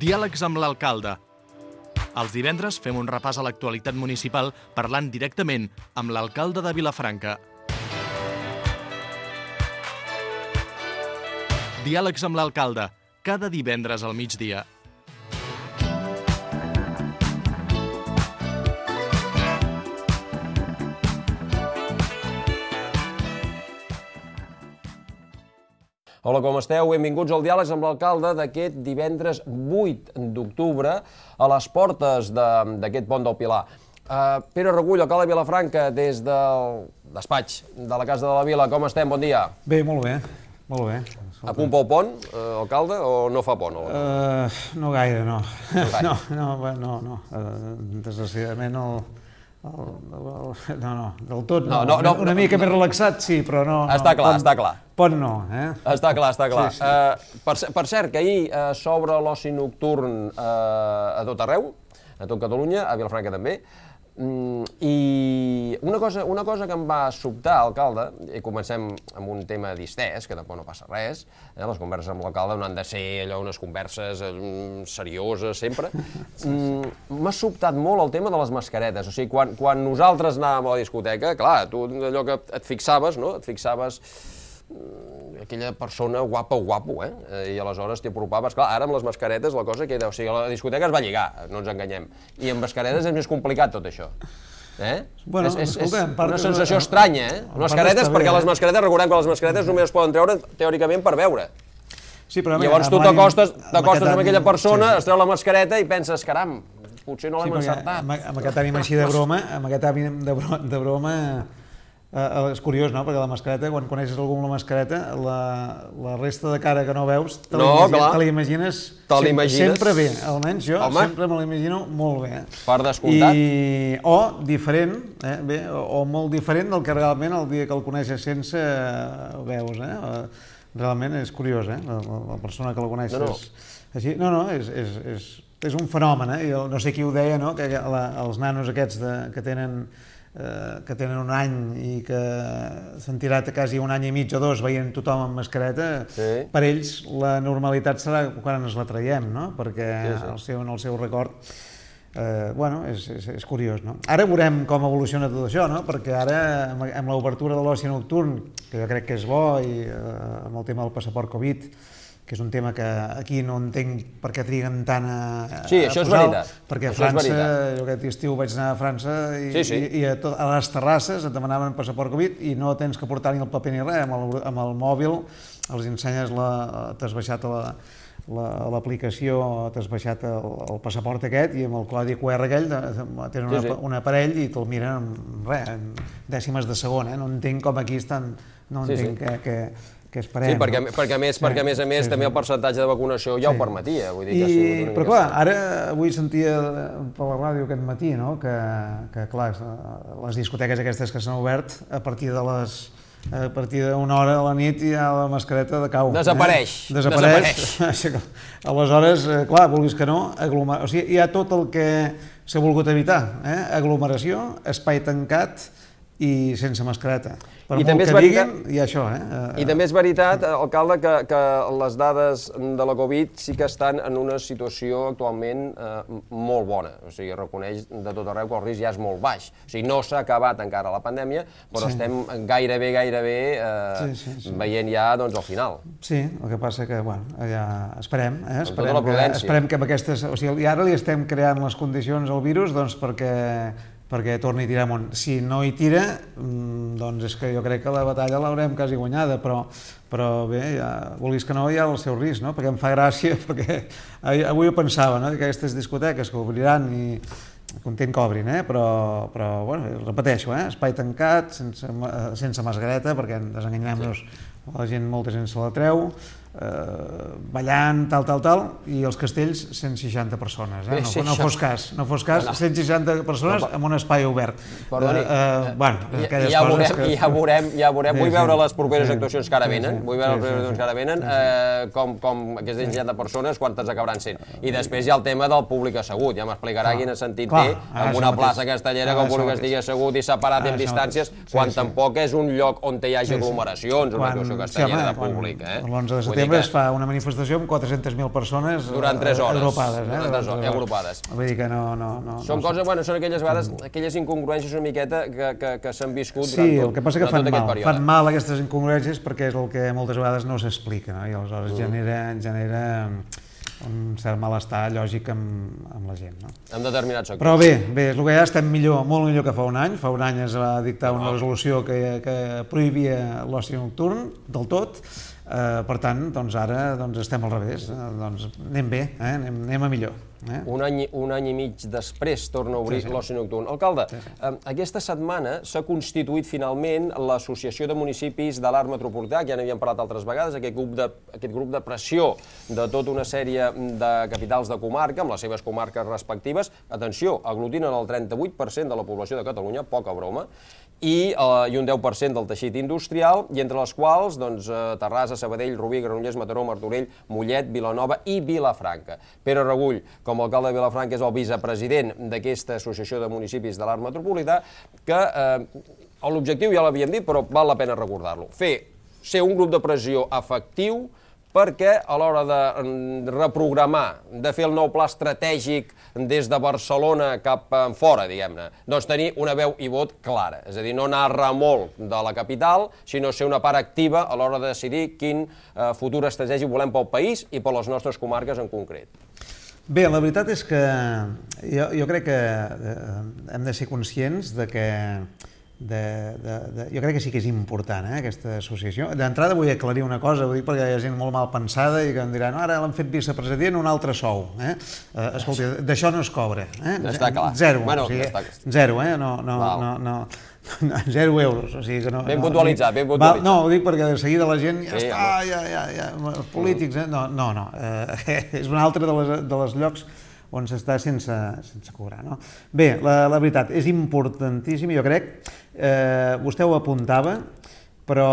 Diàlegs amb l'alcalde. Els divendres fem un repàs a l'actualitat municipal parlant directament amb l'alcalde de Vilafranca. Diàlegs amb l'alcalde, cada divendres al migdia. Hola, com esteu? Benvinguts al Diàlegs amb l'alcalde d'aquest divendres 8 d'octubre a les portes d'aquest pont del Pilar. Pere Regull, alcalde de Vilafranca, des del despatx de la Casa de la Vila. Com estem? Bon dia. Bé, molt bé, molt bé. A punt pel pont, alcalde, o no fa pont? No gaire, no. No. Desgraciadament no, del tot no. Una mica més relaxat, sí, però no. Està clar. Pont no, eh? Està clar. Sí. Per cert, que ahir s'obre l'oci nocturn a tot arreu, a tot Catalunya, a Vilafranca també, i una cosa que em va sobtar, alcalde, i comencem amb un tema distès, que tampoc no passa res, les converses amb l'alcalde no han de ser allò unes converses serioses sempre, m'ha sobtat molt el tema de les mascaretes, o sigui, quan nosaltres anàvem a la discoteca, clar, tu allò que et fixaves, no?, et fixaves aquella persona guapo, i aleshores t'hi apropaves. Clar, ara amb les mascaretes la cosa queda... O sigui, la discoteca es va lligar, no ens enganyem. I amb mascaretes és més complicat tot això. Bueno, és una sensació estranya, mascaretes, perquè les mascaretes, recordem que les mascaretes només es poden treure teòricament per veure. Llavors tu t'acostes amb aquella persona, es treu la mascareta i penses, caram, potser no l'hem encertat. Amb aquest ànim així de broma, és curiós, no?, perquè la mascareta, quan coneixes algú amb la mascareta, la resta de cara que no veus, te l'imagines sempre bé, almenys jo sempre me l'imagino molt bé. Per descomptat. O diferent, o molt diferent del que realment el dia que el coneixes sense ho veus, realment és curiós, la persona que la coneixes així. No, és un fenomen, jo no sé qui ho deia, no?, que els nanos aquests que tenen un any i que s'han tirat quasi un any i mig o dos veient tothom amb mascareta, per ells la normalitat serà quan ens la traiem, no? Perquè en el seu record, és curiós, no? Ara veurem com evoluciona tot això, no? Perquè ara, amb l'obertura de l'oci nocturn, que jo crec que és bo, i amb el tema del passaport Covid, que és un tema que aquí no entenc per què triguen tant a posar-ho. Sí, això és veritat. Perquè a França, jo aquest estiu vaig anar a França i a les terrasses et demanaven passaport Covid i no tens que portar ni el paper ni res, amb el mòbil els ensenyes, t'has baixat l'aplicació, t'has baixat el passaport aquest i amb el codi QR aquell tenen un aparell i te'l miren en dècimes de segon, no entenc com aquí estan, no entenc que esperem. Sí, perquè a més també el percentatge de vacunació ja ho permetia. Però clar, ara avui sentia per la ràdio aquest matí que clar, les discoteques aquestes que s'han obert a partir d'una hora de la nit ja la mascareta decau. Desapareix. Aleshores, clar, vulguis que no, o sigui, hi ha tot el que s'ha volgut evitar, aglomeració, espai tancat i sense mascareta. Per molt que diguin, hi ha això. I també és veritat, alcalde, que les dades de la Covid sí que estan en una situació actualment molt bona. O sigui, reconeix de tot arreu que el risc ja és molt baix. O sigui, no s'ha acabat encara la pandèmia, però estem gairebé veient ja el final. Sí, el que passa que, ja esperem. Amb tota la prudència. Esperem que amb aquestes... O sigui, ara li estem creant les condicions al virus perquè torni a tirar amunt. Si no hi tira, doncs és que jo crec que la batalla l'haurem quasi guanyada, però bé, vulguis que no, hi ha el seu risc, perquè em fa gràcia, perquè avui ho pensava, que aquestes discoteques que obriran i content que obrin, però repeteixo, espai tancat, sense mascareta, perquè desenganyem-nos, molta gent se la treu, ballant, tal, i els castells 160 persones, no fos cas, 160 persones en un espai obert. Perdoni, ja veurem, vull veure les properes actuacions que ara venen, com aquestes 160 persones, quantes acabaran sent. I després hi ha el tema del públic assegut, ja m'explicarà quin sentit té en una plaça castellera que el públic estigui assegut i separat en distàncies, quan tampoc és un lloc on hi hagi aglomeracions, una actuació castellera de públic. L'11 de setembre es fa una manifestació amb 400.000 persones durant 3 hores. agrupades. Durant 3 hores, agrupades. Vull dir que no... Són coses, bueno, són aquelles vegades, aquelles incongruències una miqueta que s'han viscut durant tot aquest període. Sí, el que passa que fan mal aquestes incongruències perquè és el que moltes vegades no s'explica, no? I aleshores genera un cert malestar lògic amb la gent, no? En determinats sectors. Però bé, és el que ja estem millor, molt millor que fa un any. Fa un any es va dictar una resolució que prohibia l'oci nocturn del tot. Per tant, doncs ara estem al revés. Anem bé, anem a millor. Un any i mig després torna a obrir l'oci nocturn. Alcalde, aquesta setmana s'ha constituït finalment l'Associació de Municipis de l'Arc Metropolità, que ja n'havíem parlat altres vegades, aquest grup de pressió de tota una sèrie de capitals de comarca, amb les seves comarques respectives. Atenció, aglutinen el 38% de la població de Catalunya, poca broma, i un 10% del teixit industrial, i entre les quals Terrassa, Sabadell, Rubí, Granollers, Mataró, Martorell, Mollet, Vilanova i Vilafranca. Pere Regull, com a alcalde de Vilafranca, és el vicepresident d'aquesta Associació de Municipis de l'Arc Metropolità, que l'objectiu ja l'havíem dit, però val la pena recordar-lo. Ser un grup de pressió efectiu perquè a l'hora de reprogramar, de fer el nou pla estratègic des de Barcelona cap fora, diguem-ne, doncs tenir una veu i vot clara. És a dir, no anar a remolc de la capital, sinó ser una part activa a l'hora de decidir quin futur estratègic volem pel país i per les nostres comarques en concret. Bé, la veritat és que jo crec que hem de ser conscients de que jo crec que sí que és important, aquesta associació. D'entrada vull aclarir una cosa, ho dic perquè hi ha gent molt mal pensada i que em diran ara l'han fet vicepresident un altre sou. Escolta, d'això no es cobra. Està clar. Zero. Zero, no. 0 euros. Ben puntualitzat, ben puntualitzat. No, ho dic perquè de seguida la gent ja està, els polítics... No, és un altre dels llocs on s'està sense cobrar. Bé, la veritat, és importantíssim, jo crec, vostè ho apuntava, però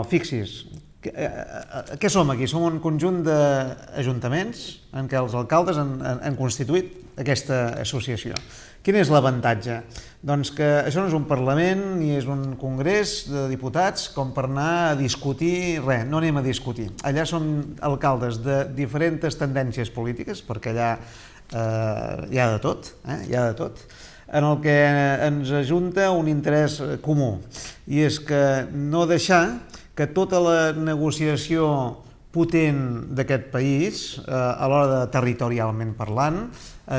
fixi's, què som aquí? Som un conjunt d'ajuntaments en què els alcaldes han constituït aquesta associació. Quin és l'avantatge? Doncs que això no és un Parlament ni és un congrés de diputats com per anar a discutir res, no anem a discutir. Allà som alcaldes de diferents tendències polítiques, perquè allà hi ha de tot, en el que ens ajunta un interès comú, i és que no deixar que tota la negociació potent d'aquest país, a l'hora de territorialment parlant,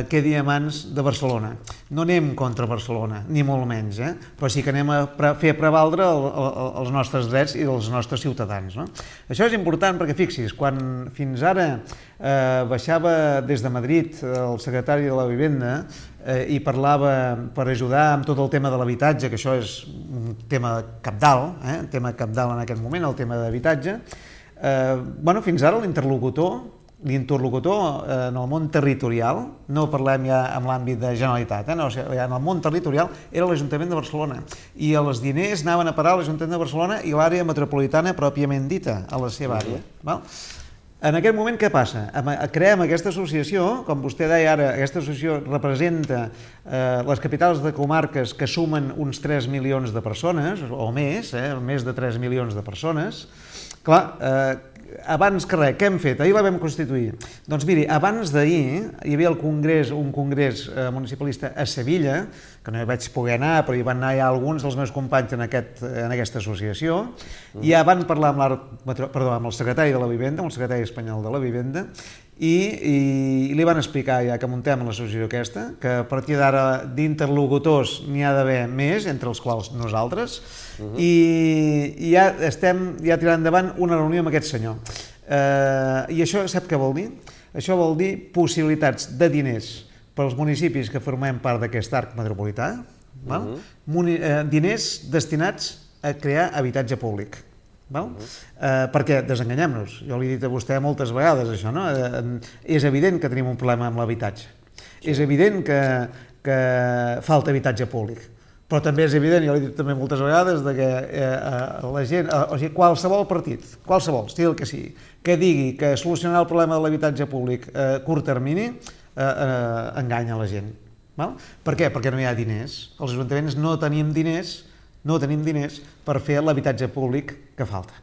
quedi a mans de Barcelona. No anem contra Barcelona, ni molt menys, però sí que anem a fer prevaldre els nostres drets i dels nostres ciutadans. Això és important perquè, fixi's, quan fins ara baixava des de Madrid el secretari de la Vivenda i parlava per ajudar amb tot el tema de l'habitatge, que això és un tema cabdal, un tema cabdal en aquest moment, el tema d'habitatge, fins ara l'interlocutor en el món territorial, no parlem ja en l'àmbit de Generalitat, en el món territorial era l'Ajuntament de Barcelona, i els diners anaven a parar a l'Ajuntament de Barcelona i l'àrea metropolitana pròpiament dita, a la seva àrea. En aquest moment què passa? Creem aquesta associació, com vostè deia ara, aquesta associació representa les capitals de comarques que sumen uns 3 milions de persones, o més de 3 milions de persones. Clar, abans que res, què hem fet? Ahir la vam constituir. Doncs miri, abans d'ahir hi havia un congrés municipalista a Sevilla, que no hi vaig poder anar, però hi van anar ja alguns dels meus companys en aquesta associació, i ja van parlar amb el secretari de la Vivenda, amb el secretari espanyol de la Vivenda, i li van explicar ja que muntem l'associació aquesta, que a partir d'ara d'interlocutors n'hi ha d'haver més, entre els quals nosaltres, i ja estem tirant endavant una reunió amb aquest senyor. I això sap què vol dir? Això vol dir possibilitats de diners pels municipis que formem part d'aquest arc metropolità, diners destinats a crear habitatge públic. Perquè, desenganyem-nos, jo li he dit a vostè moltes vegades això, és evident que tenim un problema amb l'habitatge, és evident que falta habitatge públic, però també és evident, jo li he dit també moltes vegades, que la gent, o sigui, qualsevol partit, qualsevol, estil que sigui, que digui que solucionar el problema de l'habitatge públic a curt termini enganya la gent. Per què? Perquè no hi ha diners. Els ajuntaments no tenim diners per fer l'habitatge públic que falta.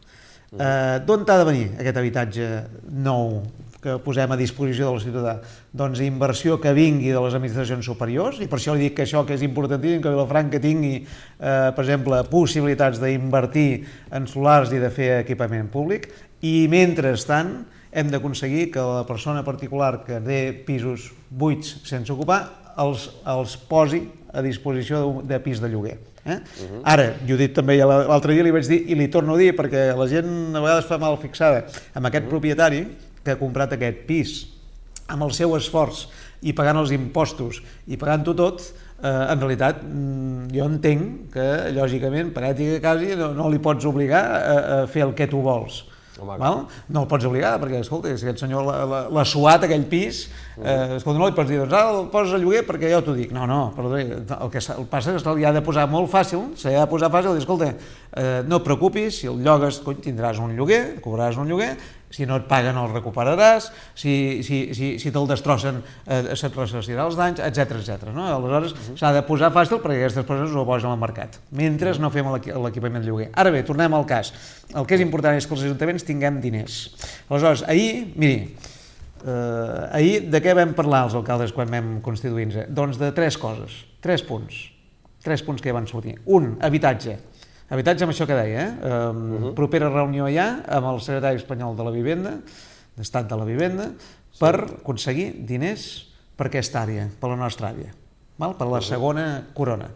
D'on ha de venir aquest habitatge nou que posem a disposició del ciutadà? Doncs inversió que vingui de les administracions superiors, i per això li dic que això que és importantíssim, que Vilafranca tingui, per exemple, possibilitats d'invertir en solars i de fer equipament públic, i mentrestant hem d'aconseguir que la persona particular que té pisos buits sense ocupar els posi a disposició de pis de lloguer. Ara, jo he dit també l'altre dia, li vaig dir, i li torno a dir, perquè la gent a vegades fa mal fixada amb aquest propietari que ha comprat aquest pis amb el seu esforç i pagant els impostos i pagant-ho tot, en realitat jo entenc que, lògicament, per ètica quasi, no li pots obligar a fer el que tu vols. No el pots obligar, perquè, escolta, si aquest senyor l'ha suat aquell pis, escolta, no li pots dir, doncs ara el poses a lloguer perquè jo t'ho dic. No, perdó, el que passa és que li ha de posar molt fàcil, se li ha de posar fàcil i dir, escolta, no et preocupis, si el llogues tindràs un lloguer, cobraràs un lloguer, si no et paguen el recuperaràs, si te'l destrossen se't ressarcirà els danys, etc. Aleshores s'ha de posar fàcil perquè aquestes persones ho posen al mercat, mentre no fem l'equipament de lloguer. Ara bé, tornem al cas. El que és important és que els ajuntaments tinguem diners. Aleshores, ahir de què vam parlar els alcaldes quan vam constituir-nos? Doncs de tres coses, tres punts que ja van sortir. Un, habitatge. Habitatge amb això que deia, propera reunió ja amb el secretari espanyol de la Vivenda, d'Estat de la Vivenda, per aconseguir diners per aquesta àrea, per la nostra àrea, per la segona corona.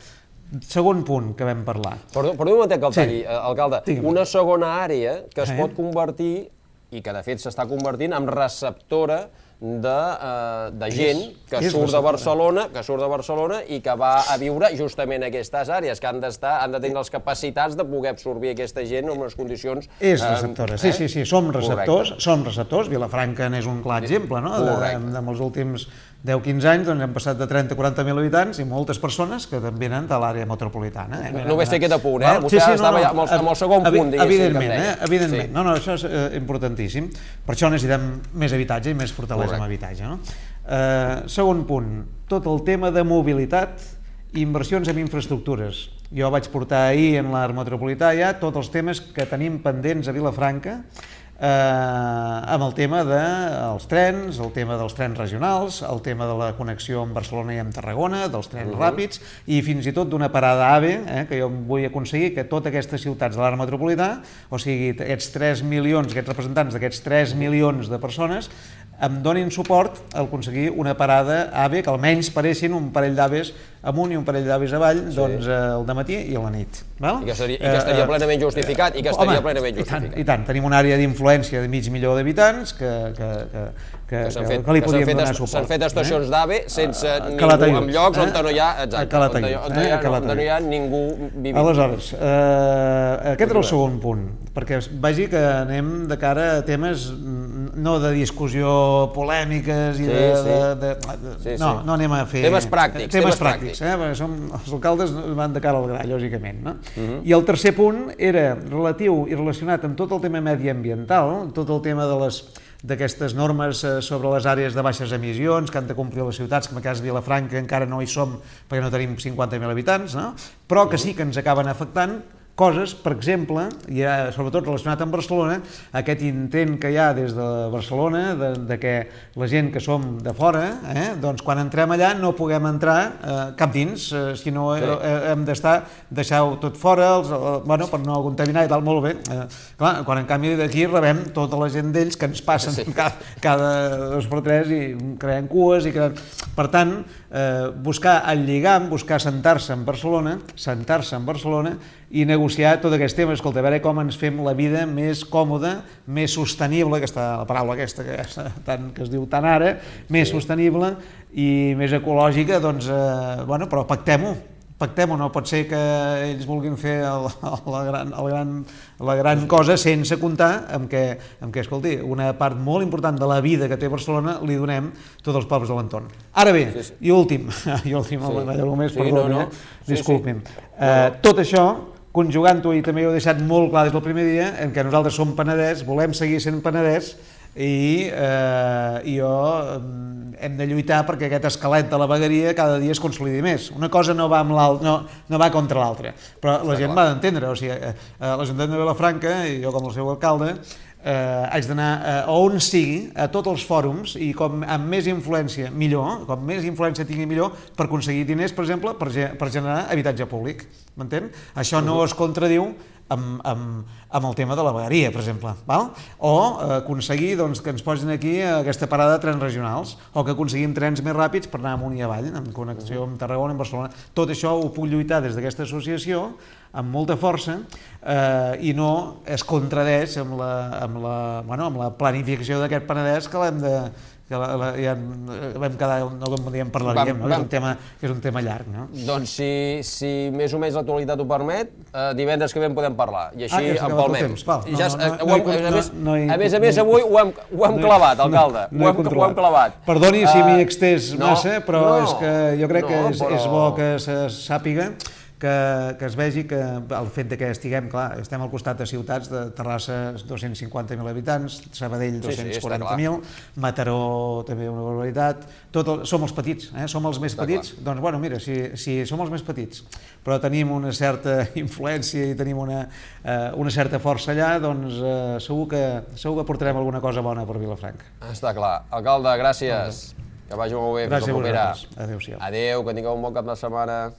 Segon punt que vam parlar. Perdó un momentet que el talli, alcalde. Una segona àrea que es pot convertir, i que de fet s'està convertint, en receptora de gent que surt de Barcelona i que va a viure justament a aquestes àrees, que han de tenir les capacitats de poder absorbir aquesta gent en unes condicions... És receptora, sí, som receptors. Vilafranca n'és un clar exemple, no? En els últims 10-15 anys hem passat de 30 a 40.000 habitants i moltes persones que venen de l'àrea metropolitana. Només té aquest apunt, vostè estava amb el segon punt, diguéssim, que em deia. Evidentment, això és importantíssim. Per això necessitem més habitatge i més fortalesa amb habitatge. Segon punt, tot el tema de mobilitat i inversions en infraestructures. Jo vaig portar ahir en l'àrea metropolitana ja tots els temes que tenim pendents a Vilafranca, amb el tema dels trens, el tema dels trens regionals, el tema de la connexió amb Barcelona i amb Tarragona, dels trens ràpids, i fins i tot d'una parada AVE, que jo vull aconseguir que totes aquestes ciutats de l'àrea metropolitana, o sigui, aquests 3 milions, aquests representants d'aquests 3 milions de persones, em donin suport a aconseguir una parada AVE que almenys pareixin un parell d'AVEs amunt i un parell d'avis avall, doncs el dematí i a la nit. I que estaria plenament justificat. I tant, tenim una àrea d'influència de mig milió d'habitants que li podríem donar suport. S'han fet estacions d'AVE sense ningú, en llocs on no hi ha ningú vivint. Aleshores, aquest era el segon punt, perquè vegi que anem de cara a temes no de discussió polèmiques i no anem a fer... Temes pràctics. Els alcaldes van de cara al gra, lògicament. I el tercer punt era relatiu i relacionat amb tot el tema mediambiental, tot el tema d'aquestes normes sobre les àrees de baixes emissions que han de complir les ciutats, que en el cas de Vilafranca encara no hi som perquè no tenim 50.000 habitants, però que sí que ens acaben afectant coses, per exemple, i sobretot relacionat amb Barcelona, aquest intent que hi ha des de Barcelona de que la gent que som de fora, doncs quan entrem allà no puguem entrar cap dins, sinó hem deixar-ho tot fora, per no contaminar i tal, molt bé. Clar, quan en canvi d'aquí rebem tota la gent d'ells que ens passen cada 2 per 3 i creem cues i creem... Per tant, buscar el lligam, buscar sentar-se en Barcelona i negociar tot aquest tema, escolta, a veure com ens fem la vida més còmoda, més sostenible, la paraula aquesta que es diu tant ara, més sostenible i més ecològica, doncs, però pactem-ho, no pot ser que ells vulguin fer la gran cosa sense comptar amb que, escolti, una part molt important de la vida que té Barcelona li donem tots els pobles de l'entorn. Ara bé, i últim, disculpin, tot això, conjugant-ho, i també ho he deixat molt clar des del primer dia, en què nosaltres som Penedès, volem seguir sent Penedès, i jo hem de lluitar perquè aquest esquelet de la vegueria cada dia es consolidi més. Una cosa no va amb no va contra l'altra, però la gent l'ha d'entendre. O sigui, l'Ajuntament de Vilafranca, i jo com el seu alcalde, haig d'anar a on sigui, a tots els fòrums, i com amb més influència millor, com més influència tingui millor, per aconseguir diners, per exemple, per generar habitatge públic. M'entén? Això no es contradiu amb el tema de la vegueria, per exemple, val? O aconseguir que ens posin aquí aquesta parada de trens regionals, o que aconseguim trens més ràpids per anar amunt i avall, en connexió amb Tarragona i amb Barcelona. Tot això ho puc lluitar des d'aquesta associació amb molta força i no es contradeix amb la planificació d'aquest Penedès, que l'hem de... ja vam quedar, no un dia en parlaríem, que és un tema llarg. Doncs si més o menys l'actualitat ho permet, divendres que ve en podem parlar, i així empalmem. A més, avui ho hem clavat, alcalde, ho hem clavat. Perdoni si m'hi he extès massa, però és que jo crec que és bo que se sàpiga, que es vegi que el fet que estiguem, clar, estem al costat de ciutats, de Terrassa 250.000 habitants, Sabadell 240.000, Mataró també una barbaritat, som els petits, som els més petits, doncs bueno, mira, si som els més petits, però tenim una certa influència i tenim una certa força allà, doncs segur que portarem alguna cosa bona per Vilafranca. Està clar. Alcalde, gràcies. Que vagi molt bé, fins la propera. Adéu-siau. Adéu, que tingueu un bon cap de setmana.